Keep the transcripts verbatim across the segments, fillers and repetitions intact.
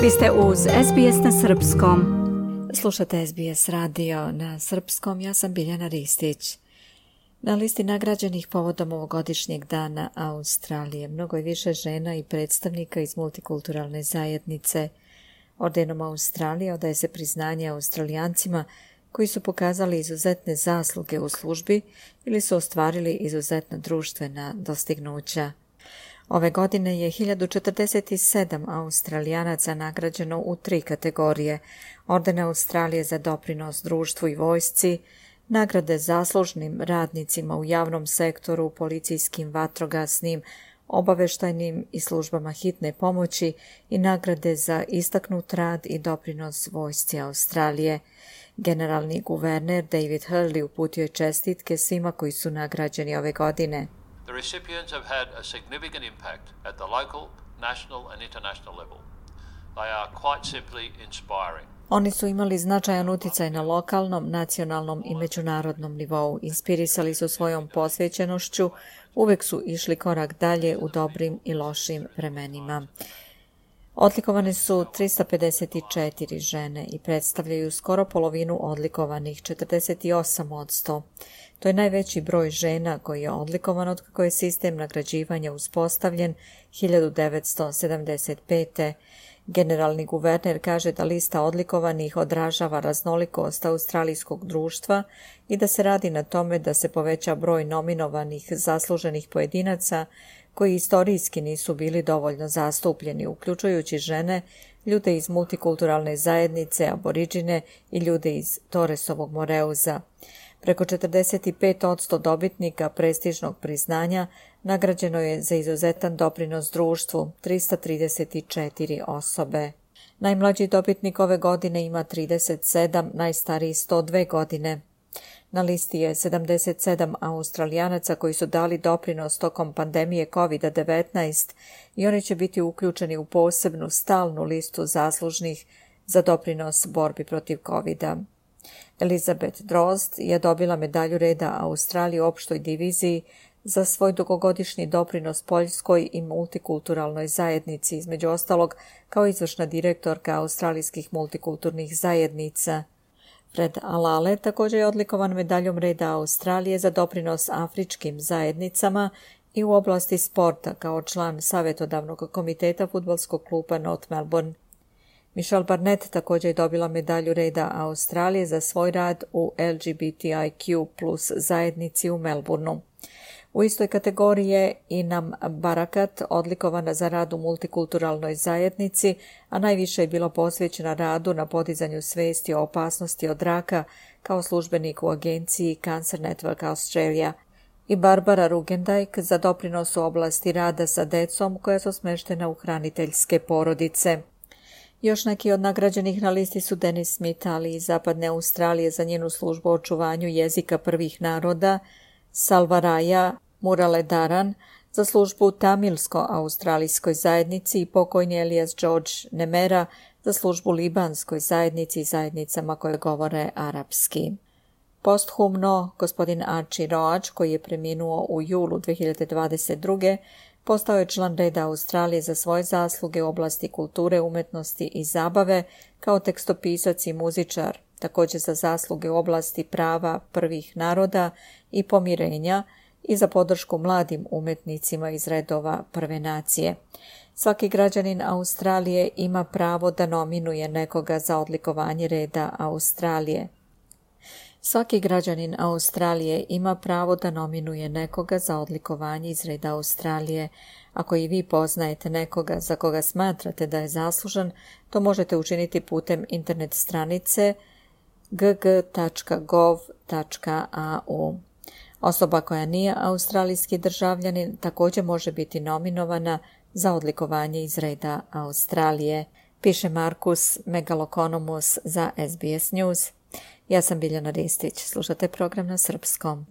Vi ste uz es be es na srpskom. Slušate es be es radio na srpskom, ja sam Biljana Ristić. Na listi nagrađenih povodom ovogodišnjeg dana Australije mnogo je više žena i predstavnika iz multikulturalne zajednice. Ordenom Australije odaje se priznanje Australijancima koji su pokazali izuzetne zasluge u službi ili su ostvarili izuzetna društvena dostignuća. Ove godine je hiljadu četrdeset sedam Australijanaca nagrađeno u tri kategorije: Orden Australije za doprinos društvu i vojsci, nagrade zaslužnim radnicima u javnom sektoru, policijskim, vatrogasnim, obaveštajnim i službama hitne pomoći i nagrade za istaknut rad i doprinos vojsci Australije. Generalni guverner David Hurley uputio je čestitke svima koji su nagrađeni ove godine. The recipients have had a significant impact at the local, national and international level. They are quite simply inspiring. Oni su imali značajan utjecaj na lokalnom, nacionalnom i međunarodnom nivou. Inspirisali su svojom posvećenošću, uvek su išli korak dalje u dobrim i lošim vremenima. Odlikovane su trista pedeset četiri žene i predstavljaju skoro polovinu odlikovanih, četrdeset osam posto. To je najveći broj žena koji je odlikovan od kako je sistem nagrađivanja uspostavljen hiljadu devetsto sedamdeset pete. Generalni guverner kaže da lista odlikovanih odražava raznolikost australijskog društva i da se radi na tome da se poveća broj nominovanih zasluženih pojedinaca koji istorijski nisu bili dovoljno zastupljeni, uključujući žene, ljude iz multikulturalne zajednice, aboriđine i ljude iz Torresovog Moreuza. Preko četrdeset pet posto dobitnika prestižnog priznanja nagrađeno je za izuzetan doprinos društvu, trista trideset četiri osobe. Najmlađi dobitnik ove godine ima trideset sedam, najstariji sto dve godine. Na listi je sedamdeset sedam Australijanaca koji su dali doprinos tokom pandemije kovid devetnaest i oni će biti uključeni u posebnu stalnu listu zaslužnih za doprinos borbi protiv kovida. Elizabeth Drozd je dobila medalju reda Australije u opštoj diviziji za svoj dugogodišnji doprinos Poljskoj i multikulturalnoj zajednici, između ostalog kao izvršna direktorka australijskih multikulturnih zajednica. Fred Alale također je odlikovan medaljom reda Australije za doprinos afričkim zajednicama i u oblasti sporta kao član savjetodavnog komiteta fudbalskog kluba North Melbourne. Michelle Barnett također je dobila medalju reda Australije za svoj rad u el ge be te i kju plus zajednici u Melbourneu. U istoj kategoriji je Inam Barakat odlikovana za rad u multikulturalnoj zajednici, a najviše je bilo posvećena radu na podizanju svijesti o opasnosti od raka kao službenik u agenciji Cancer Network Australia, i Barbara Rugendijk za doprinos u oblasti rada sa decom koja su smještena u hraniteljske porodice. Još neki od nagrađenih na listi su Dennis Smith, ali iz Zapadne Australije za njenu službu o očuvanju jezika prvih naroda, Salvaraja Muraledaran za službu u tamilsko-australijskoj zajednici i pokojni Elias George Nemera za službu libanskoj zajednici i zajednicama koje govore arapski. Posthumno, gospodin Archie Roach, koji je preminuo u julu dve hiljade dvadeset druge. postao je član reda Australije za svoje zasluge u oblasti kulture, umetnosti i zabave kao tekstopisac i muzičar, također za zasluge u oblasti prava prvih naroda i pomirenja i za podršku mladim umetnicima iz redova prve nacije. Svaki građanin Australije ima pravo da nominuje nekoga za odlikovanje reda Australije. Svaki građanin Australije ima pravo da nominuje nekoga za odlikovanje iz reda Australije. Ako i vi poznajete nekoga za koga smatrate da je zaslužan, to možete učiniti putem internet stranice g g tačka gov tačka a u. Osoba koja nije australijski državljanin također može biti nominovana za odlikovanje iz reda Australije, piše Markus Megalokonomus za es be es News. Ja sam Biljana Ristić, slušate program na srpskom.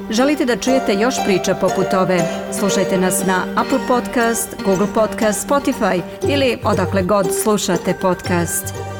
Želite da čujete još priča poput ove? Slušajte nas na Apple Podcast, Google Podcast, Spotify ili odakle god slušate podcast.